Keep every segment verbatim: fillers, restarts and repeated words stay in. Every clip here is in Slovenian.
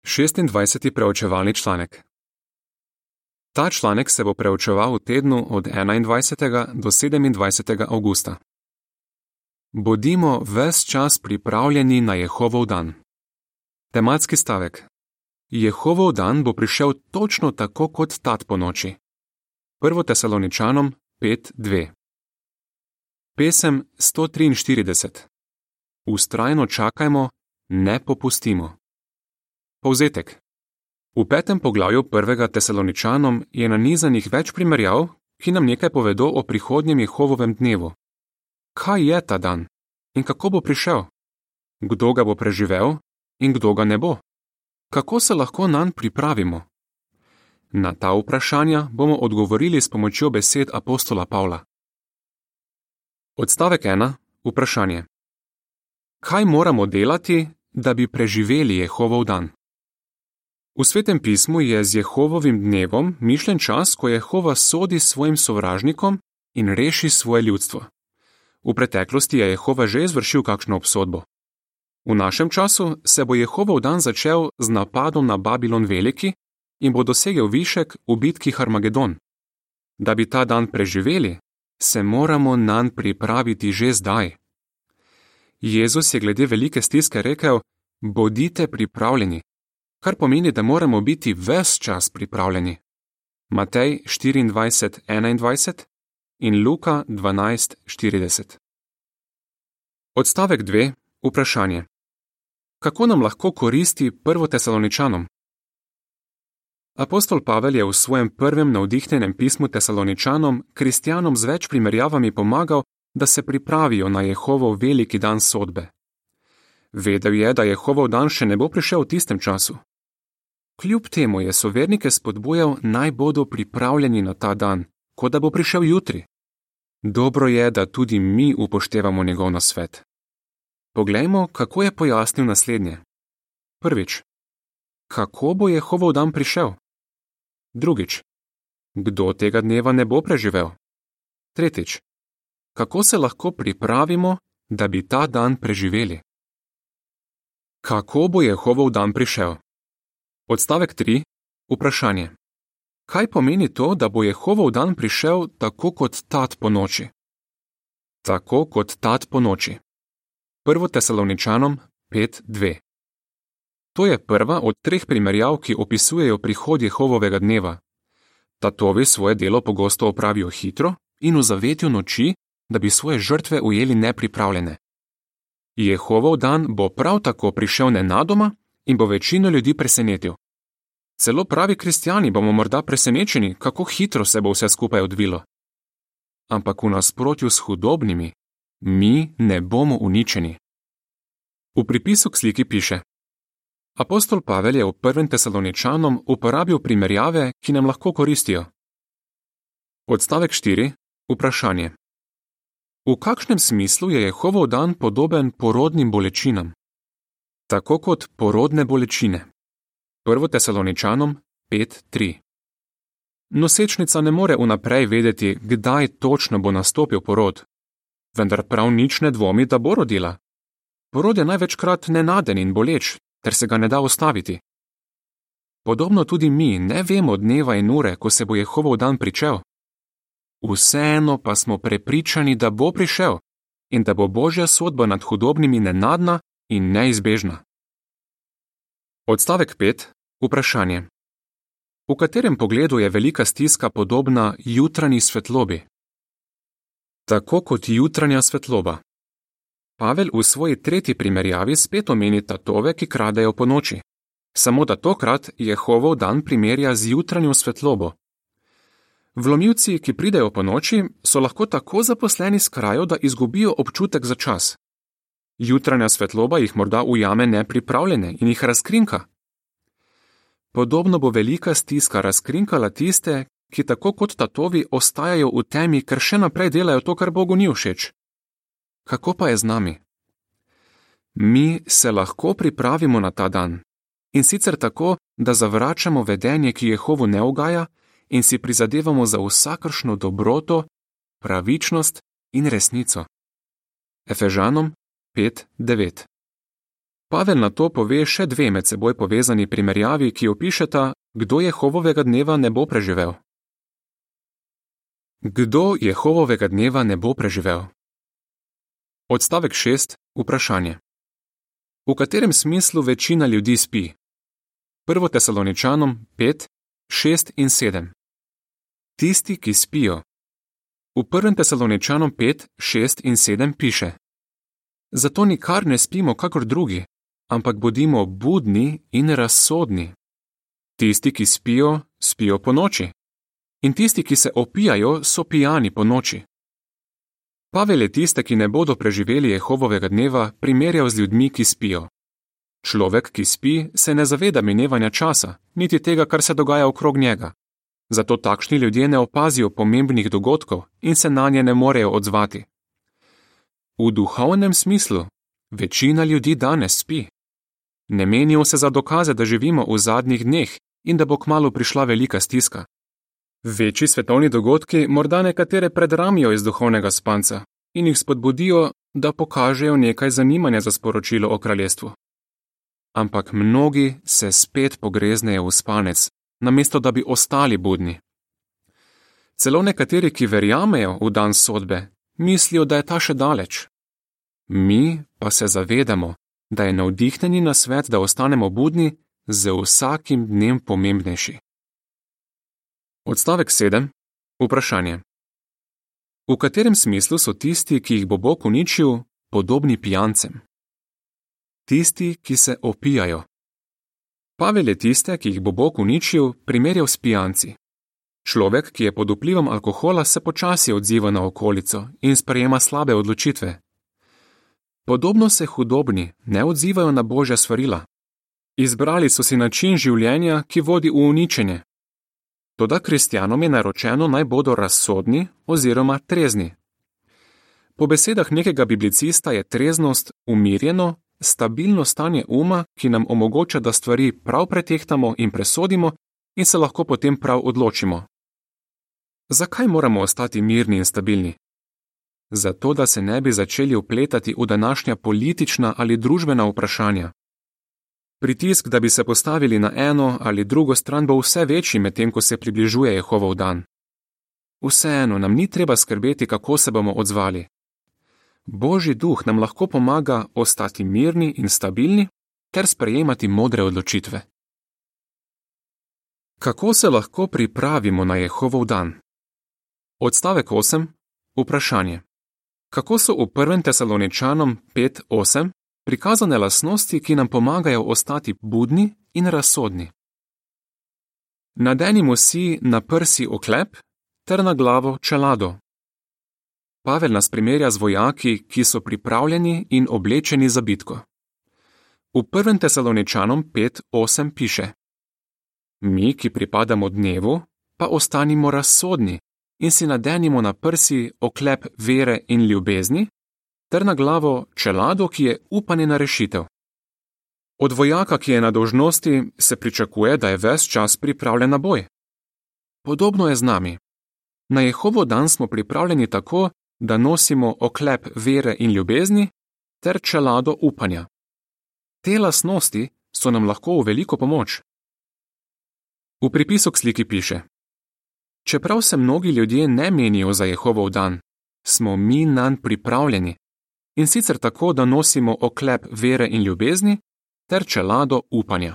šestindvajseti preučevalni članek. Ta članek se bo preučeval v tednu od enaindvajsetega do sedemindvajsetega avgusta. Bodimo ves čas pripravljeni na Jehovov dan. Tematski stavek. Jehovov dan bo prišel točno tako kot tat po noči. Prvo Tesaloničanom pet dve. Pesem sto triinštirideset. Vztrajno čakajmo, ne popustimo. Povzetek. V petem poglavju prvega Tesaloničanom je nanizanih več primerjav, ki nam nekaj povedo o prihodnjem Jehovovem dnevu. Kaj je ta dan in kako bo prišel? Kdo ga bo preživel in kdo ga ne bo? Kako se lahko nanj pripravimo? Na ta vprašanja bomo odgovorili s pomočjo besed apostola Pavla. Odstavek ena. Vprašanje. Kaj moramo delati, da bi preživeli Jehovov dan? V Svetem pismu je z Jehovovim dnevom mišljen čas, ko Jehova sodi svojim sovražnikom in reši svoje ljudstvo. V preteklosti je Jehova že izvršil kakšno obsodbo. V našem času se bo Jehovov dan začel z napadom na Babilon Veliki in bo dosegel višek v bitki Harmagedon. Da bi ta dan preživeli, se moramo nanj pripraviti že zdaj. Jezus je glede velike stiske rekel: bodite pripravljeni, kar pomeni, da moramo biti ves čas pripravljeni. Matej štiriindvajset enaindvajset in Luka dvanajst štirideset. Odstavek dve. Vprašanje. Kako nam lahko koristi prvo Tesaloničanom? Apostol Pavel je v svojem prvem navdihnjenem pismu Tesaloničanom kristjanom z več primerjavami pomagal, da se pripravijo na Jehovov veliki dan sodbe. Vedel je, da Jehovov dan še ne bo prišel v tistem času. Kljub temu je sovernike spodbujal, naj bodo pripravljeni na ta dan, kot da bo prišel jutri. Dobro je, da tudi mi upoštevamo njegov nasvet. Poglejmo, kako je pojasnil naslednje. Prvič. Kako bo Jehovov dan prišel? Drugič. Kdo tega dneva ne bo preživel? Tretjič. Kako se lahko pripravimo, da bi ta dan preživeli? Kako bo Jehovov dan prišel? Odstavek tri. Vprašanje. Kaj pomeni to, da bo Jehovov dan prišel tako kot tat po noči? Tako kot tat po noči. Prvo Tesaloničanom pet dve. To je prva od treh primerjav, ki opisujejo prihod Jehovovega dneva. Tatovi svoje delo pogosto opravijo hitro in v zavetju noči, da bi svoje žrtve ujeli nepripravljene. Jehovov dan bo prav tako prišel nenadoma in bo večino ljudi presenetil. Celo pravi kristjani bomo morda presenečeni, kako hitro se bo vse skupaj odvilo. Ampak v nasprotju s hudobnimi, mi ne bomo uničeni. V pripisu k sliki piše: Apostol Pavel je v prvem Tesaloničanom uporabil primerjave, ki nam lahko koristijo. Odstavek štiri. Vprašanje. V kakšnem smislu je Jehovov dan podoben porodnim bolečinam? Tako kot porodne bolečine. Prvo Tesaloničanom pet tri. Nosečnica ne more vnaprej vedeti, kdaj točno bo nastopil porod, vendar prav nič ne dvomi, da bo rodila. Porod je največkrat nenaden in boleč, ter se ga ne da ustaviti. Podobno tudi mi ne vemo dneva in ure, ko se bo Jehovov dan pričel. Vseeno pa smo prepričani, da bo prišel in da bo Božja sodba nad hudobnimi nenadna in neizbežna. Odstavek pet. Vprašanje. V katerem pogledu je velika stiska podobna jutranji svetlobi? Tako kot jutranja svetloba. Pavel v svoji tretji primerjavi spet omeni tatove, ki kradejo po noči. Samo da tokrat Jehovov dan primerja z jutranjo svetlobo. Vlomilci, ki pridejo po noči, so lahko tako zaposleni s krajo, da izgubijo občutek za čas. Jutranja svetloba jih morda ujame nepripravljene in jih razkrinka. Podobno bo velika stiska razkrinkala tiste, ki tako kot tatovi ostajajo v temi, ker še naprej delajo to, kar Bogu ni všeč. Kako pa je z nami? Mi se lahko pripravimo na ta dan, in sicer tako, da zavračamo vedenje, ki Jehovu ne ugaja, in si prizadevamo za vsakršno dobroto, pravičnost in resnico. Efežanom pet devet. Pavel na to pove še dve med seboj povezani primerjavi, ki opišeta, kdo Jehovovega dneva ne bo preživel. Kdo Jehovovega dneva ne bo preživel? Odstavek šest. Vprašanje. V katerem smislu večina ljudi spi? Prvo Tesaloničanom pet, šest in sedem. Tisti, ki spijo. V prvem Tesaloničanom pet, šest in sedem piše: Zato nikar ne spimo kakor drugi, ampak bodimo budni in razsodni. Tisti, ki spijo, spijo po noči. In tisti, ki se opijajo, so pijani po noči. Pavel je tiste, ki ne bodo preživeli Jehovovega dneva, primerjal z ljudmi, ki spijo. Človek, ki spi, se ne zaveda minevanja časa, niti tega, kar se dogaja okrog njega. Zato takšni ljudje ne opazijo pomembnih dogodkov in se nanje ne morejo odzvati. V duhovnem smislu, večina ljudi danes spi. Ne menijo se za dokaze, da živimo v zadnjih dneh in da bo kmalu prišla velika stiska. Večji svetovni dogodki morda nekatere predramijo iz duhovnega spanca in jih spodbudijo, da pokažejo nekaj zanimanja za sporočilo o kraljestvu. Ampak mnogi se spet pogreznejo v spanec, namesto da bi ostali budni. Celo nekateri, ki verjamejo v dan sodbe, mislijo, da je ta še daleč. Mi pa se zavedamo, da je navdihnjeni nasvet, da ostanemo budni, z vsakim dnem pomembnejši. Odstavek sedem. Vprašanje. V katerem smislu so tisti, ki jih bo Bog uničil, podobni pijancem? Tisti, ki se opijajo. Pavel je tiste, ki jih bo Bog uničil, primerjal s pijanci. Človek, ki je pod vplivom alkohola, se počasi odziva na okolico in sprejema slabe odločitve. Podobno se hudobni ne odzivajo na Božja svarila. Izbrali so si način življenja, ki vodi v uničenje. Toda kristjanom je naročeno, naj bodo razsodni oziroma trezni. Po besedah nekega biblicista je treznost umirjeno, stabilno stanje uma, ki nam omogoča, da stvari prav pretehtamo in presodimo in se lahko potem prav odločimo. Zakaj moramo ostati mirni in stabilni? Zato, da se ne bi začeli vpletati v današnja politična ali družbena vprašanja. Pritisk, da bi se postavili na eno ali drugo stran, bo vse večji, medtem ko se približuje Jehovov dan. Vseeno nam ni treba skrbeti, kako se bomo odzvali. Božji duh nam lahko pomaga ostati mirni in stabilni ter sprejemati modre odločitve. Kako se lahko pripravimo na Jehovov dan? Odstavek osem. Vprašanje. Kako so v prvem Tesaloničanom pet osem prikazane lastnosti, ki nam pomagajo ostati budni in razsodni? Nadenimo si na prsi oklep ter na glavo čelado. Pavel nas primerja z vojaki, ki so pripravljeni in oblečeni za bitko. V prvem Tesaloničanom pet osem piše: Mi, ki pripadamo dnevu, pa ostanimo razsodni in si nadenimo na prsi oklep vere in ljubezni, ter na glavo čelado, ki je upanje na rešitev. Od vojaka, ki je na dolžnosti, se pričakuje, da je ves čas pripravljen na boj. Podobno je z nami. Na Jehovov dan smo pripravljeni tako, da nosimo oklep vere in ljubezni ter čelado upanja. Te lastnosti so nam lahko v veliko pomoč. V pripisu k sliki piše: Čeprav se mnogi ljudje ne menijo za Jehovov dan, smo mi nanj pripravljeni, in sicer tako, da nosimo oklep vere in ljubezni ter čelado upanja.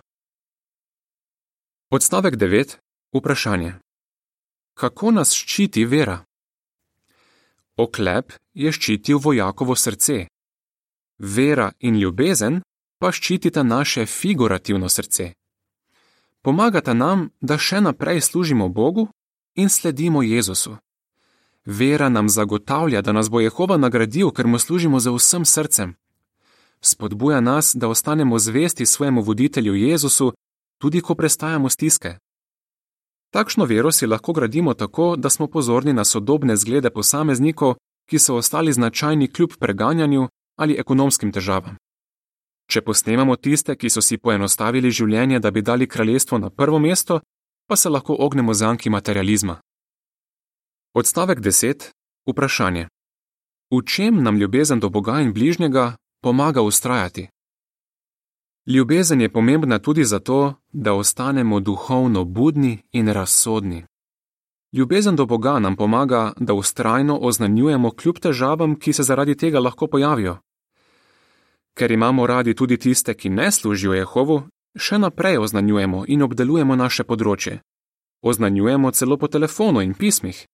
Odstavek devet. Vprašanje. Kako nas ščiti vera? Oklep je ščitil vojakovo srce. Vera in ljubezen pa ščitita naše figurativno srce. Pomagata nam, da še naprej služimo Bogu in sledimo Jezusu. Vera nam zagotavlja, da nas bo Jehova nagradil, ker mu služimo z vsem srcem. Spodbuja nas, da ostanemo zvesti svojemu voditelju Jezusu, tudi ko prestajamo stiske. Takšno vero si lahko gradimo tako, da smo pozorni na sodobne zglede posameznikov, ki so ostali značajni kljub preganjanju ali ekonomskim težavam. Če posnemamo tiste, ki so si poenostavili življenje, da bi dali kraljestvo na prvo mesto, pa se lahko ognemo zanki materializma. Odstavek deset. Vprašanje. V čem nam ljubezen do Boga in bližnjega pomaga vztrajati? Ljubezen je pomembna tudi zato, da ostanemo duhovno budni in razsodni. Ljubezen do Boga nam pomaga, da vztrajno oznanjujemo kljub težavam, ki se zaradi tega lahko pojavijo. Ker imamo radi tudi tiste, ki ne služijo Jehovu, še naprej oznanjujemo in obdelujemo naše področje. Oznanjujemo celo po telefonu in pismih.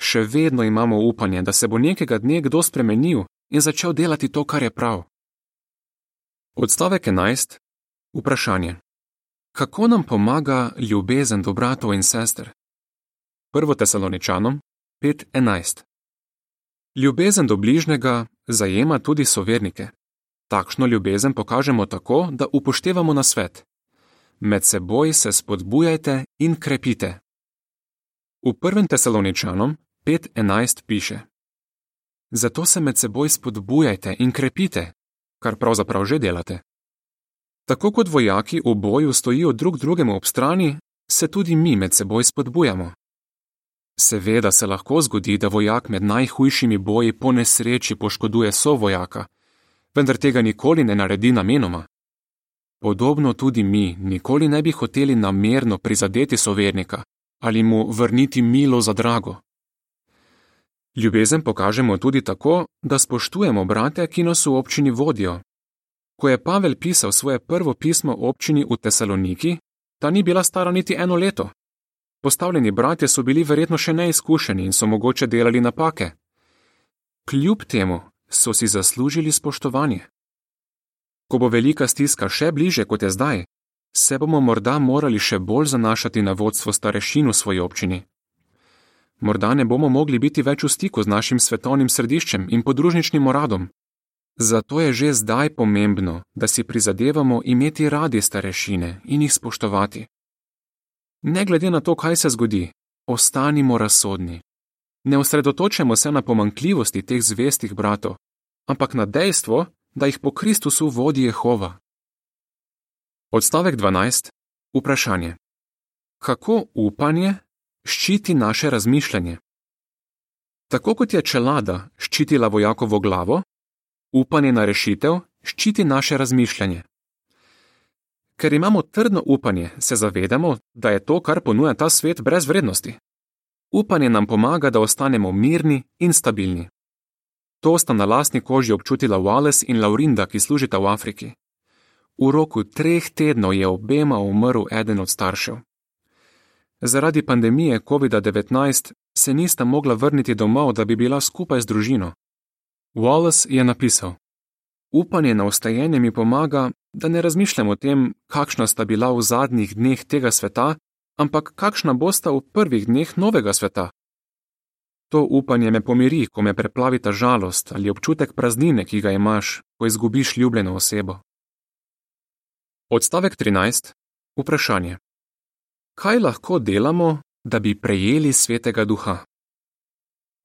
Še vedno imamo upanje, da se bo nekega dne kdo spremenil in začel delati to, kar je prav. Odstavek enajst. Vprašanje. Kako nam pomaga ljubezen do bratov in sester? Prvo Tesaloničanom pet enajst. Ljubezen do bližnjega zajema tudi sovernike. Takšno ljubezen pokažemo tako, da upoštevamo nasvet. Med seboj se spodbujajte in krepite. V prvem Tesaloničanom pet enajst piše: Zato se med seboj spodbujajte in krepite, kar pravzaprav že delate. Tako kot vojaki v boju stojijo drug drugemu ob strani, se tudi mi med seboj spodbujamo. Seveda se lahko zgodi, da vojak med najhujšimi boji po nesreči poškoduje sovojaka, vendar tega nikoli ne naredi namenoma. Podobno tudi mi nikoli ne bi hoteli namerno prizadeti sovernika ali mu vrniti milo za drago. Ljubezen pokažemo tudi tako, da spoštujemo brate, ki nas v občini vodijo. Ko je Pavel pisal svoje prvo pismo občini v Tesaloniki, ta ni bila stara niti eno leto. Postavljeni bratje so bili verjetno še neizkušeni in so mogoče delali napake. Kljub temu so si zaslužili spoštovanje. Ko bo velika stiska še bliže, kot je zdaj, se bomo morda morali še bolj zanašati na vodstvo starešin v svoji občini. Morda ne bomo mogli biti več v stiku z našim svetovnim središčem in podružničnim uradom. Zato je že zdaj pomembno, da si prizadevamo imeti radi starešine in jih spoštovati. Ne glede na to, kaj se zgodi, ostanimo razsodni. Ne osredotočamo se na pomanjkljivosti teh zvestih bratov, ampak na dejstvo, da jih po Kristusu vodi Jehova. Odstavek dvanajst. Vprašanje. Kako upanje ščiti naše razmišljanje? Tako kot je čelada ščitila vojakovo glavo, upanje na rešitev ščiti naše razmišljanje. Ker imamo trdno upanje, se zavedamo, da je to, kar ponuja ta svet, brez vrednosti. Upanje nam pomaga, da ostanemo mirni in stabilni. To sta na lastni koži občutila Wallace in Laurinda, ki služita v Afriki. V roku treh tednov je obema umrl eden od staršev. Zaradi pandemije covid devetnajst se nista mogla vrniti domov, da bi bila skupaj z družino. Wallace je napisal: Upanje na vstajenje mi pomaga, da ne razmišljam o tem, kakšna sta bila v zadnjih dneh tega sveta, ampak kakšna bosta v prvih dneh novega sveta. To upanje me pomiri, ko me preplavita žalost ali občutek praznine, ki ga imaš, ko izgubiš ljubljeno osebo. Odstavek trinajst. Vprašanje. Kaj lahko delamo, da bi prejeli Svetega Duha?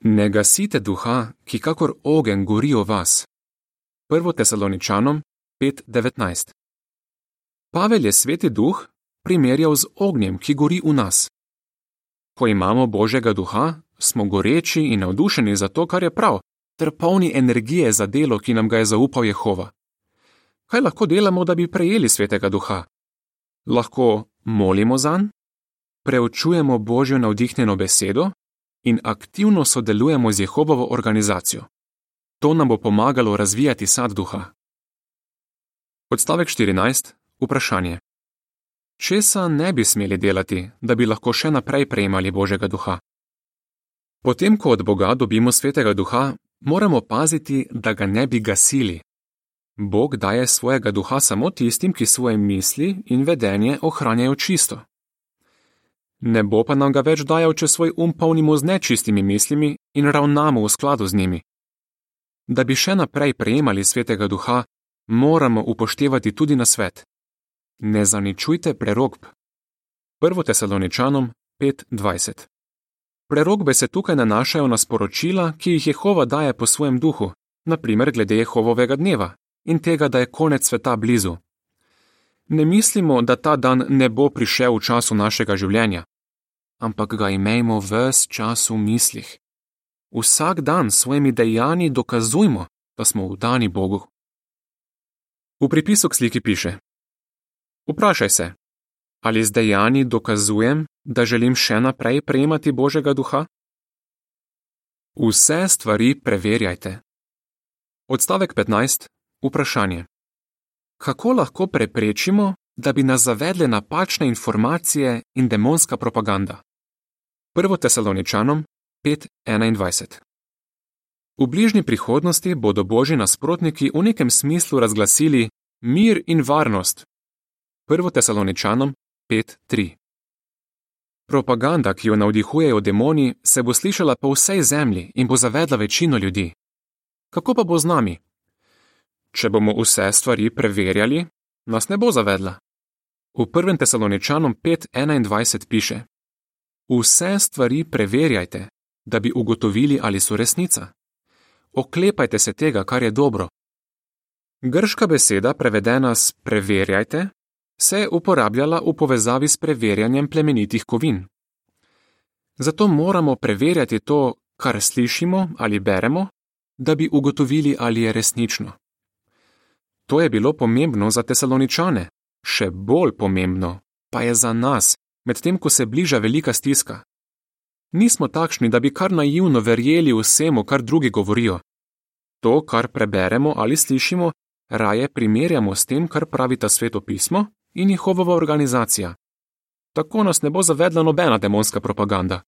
Ne gasite duha, ki kakor ogenj gori v vas. Prvo Tesaloničanom pet devetnajst. Pavel je Sveti Duh primerjal z ognjem, ki gori v nas. Ko imamo Božjega Duha, smo goreči in navdušeni za to, kar je prav, ter polni energije za delo, ki nam ga je zaupal Jehova. Kaj lahko delamo, da bi prejeli Svetega Duha? Lahko molimo zanj, preučujemo Božjo navdihnjeno besedo in aktivno sodelujemo z Jehovovo organizacijo. To nam bo pomagalo razvijati sad duha. Odstavek štirinajst. Vprašanje. Česa ne bi smeli delati, da bi lahko še naprej prejemali Božjega Duha? Potem, ko od Boga dobimo Svetega Duha, moramo paziti, da ga ne bi gasili. Bog daje svojega duha samo tistim, ki svoje misli in vedenje ohranjajo čisto. Ne bo pa nam ga več dajal, če svoj um polnimo z nečistimi mislimi in ravnamo v skladu z njimi. Da bi še naprej prejemali Svetega Duha, moramo upoštevati tudi nasvet. Ne zaničujte prerokb. Prvo Tesaloničanom pet dvajset. Prerokbe se tukaj nanašajo na sporočila, ki jih Jehova daje po svojem duhu, na primer glede Jehovovega dneva in tega, da je konec sveta blizu. Ne mislimo, da ta dan ne bo prišel v času našega življenja, ampak ga imejmo ves čas v mislih. Vsak dan s svojimi dejanji dokazujmo, da smo vdani Bogu. V pripisu k sliki piše: Vprašaj se, ali z dejanji dokazujem, da želim še naprej prejemati Božjega duha? Vse stvari preverjajte. Odstavek petnajst. Vprašanje. Kako lahko preprečimo, da bi nas zavedle napačne informacije in demonska propaganda? Prvo Tesaloničanom pet enaindvajset. V bližnji prihodnosti bodo Božji nasprotniki v nekem smislu razglasili mir in varnost. Prvo Tesaloničanom pet tri. Propaganda, ki jo navdihujejo demoni, se bo slišala po vsej zemlji in bo zavedla večino ljudi. Kako pa bo z nami? Če bomo vse stvari preverjali, nas ne bo zavedla. V prvem Tesaloničanom pet enaindvajset piše: Vse stvari preverjajte, da bi ugotovili, ali so resnica. Oklepajte se tega, kar je dobro. Grška beseda, prevedena s preverjajte, se je uporabljala v povezavi s preverjanjem plemenitih kovin. Zato moramo preverjati to, kar slišimo ali beremo, da bi ugotovili, ali je resnično. To je bilo pomembno za Tesaloničane, še bolj pomembno pa je za nas, medtem ko se bliža velika stiska. Nismo takšni, da bi kar naivno verjeli vsemu, kar drugi govorijo. To, kar preberemo ali slišimo, raje primerjamo s tem, kar pravita Sveto pismo in Jehovova organizacija. Tako nas ne bo zavedla nobena demonska propaganda.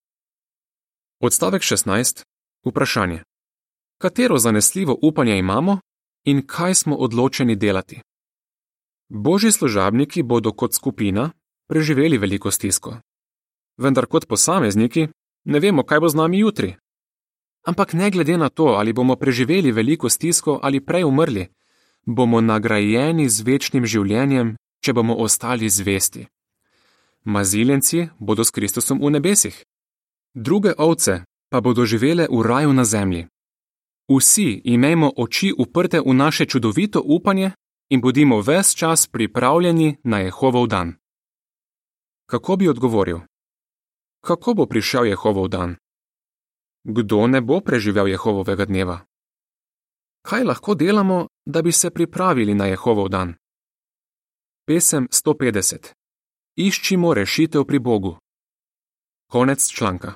Odstavek šestnajst. Vprašanje. Katero zanesljivo upanje imamo in kaj smo odločeni delati? Božji služabniki bodo kot skupina preživeli veliko stisko. Vendar kot posamezniki ne vemo, kaj bo z nami jutri. Ampak ne glede na to, ali bomo preživeli veliko stisko ali prej umrli, bomo nagrajeni z večnim življenjem, če bomo ostali zvesti. Maziljenci bodo s Kristusom v nebesih. Druge ovce pa bodo živele v raju na zemlji. Vsi imejmo oči uprte v naše čudovito upanje in bodimo ves čas pripravljeni na Jehovov dan. Kako bi odgovoril? Kako bo prišel Jehovov dan? Kdo ne bo preživel Jehovovega dneva? Kaj lahko delamo, da bi se pripravili na Jehovov dan? Pesem sto petdeset. Iščimo rešitev pri Bogu. Konec članka.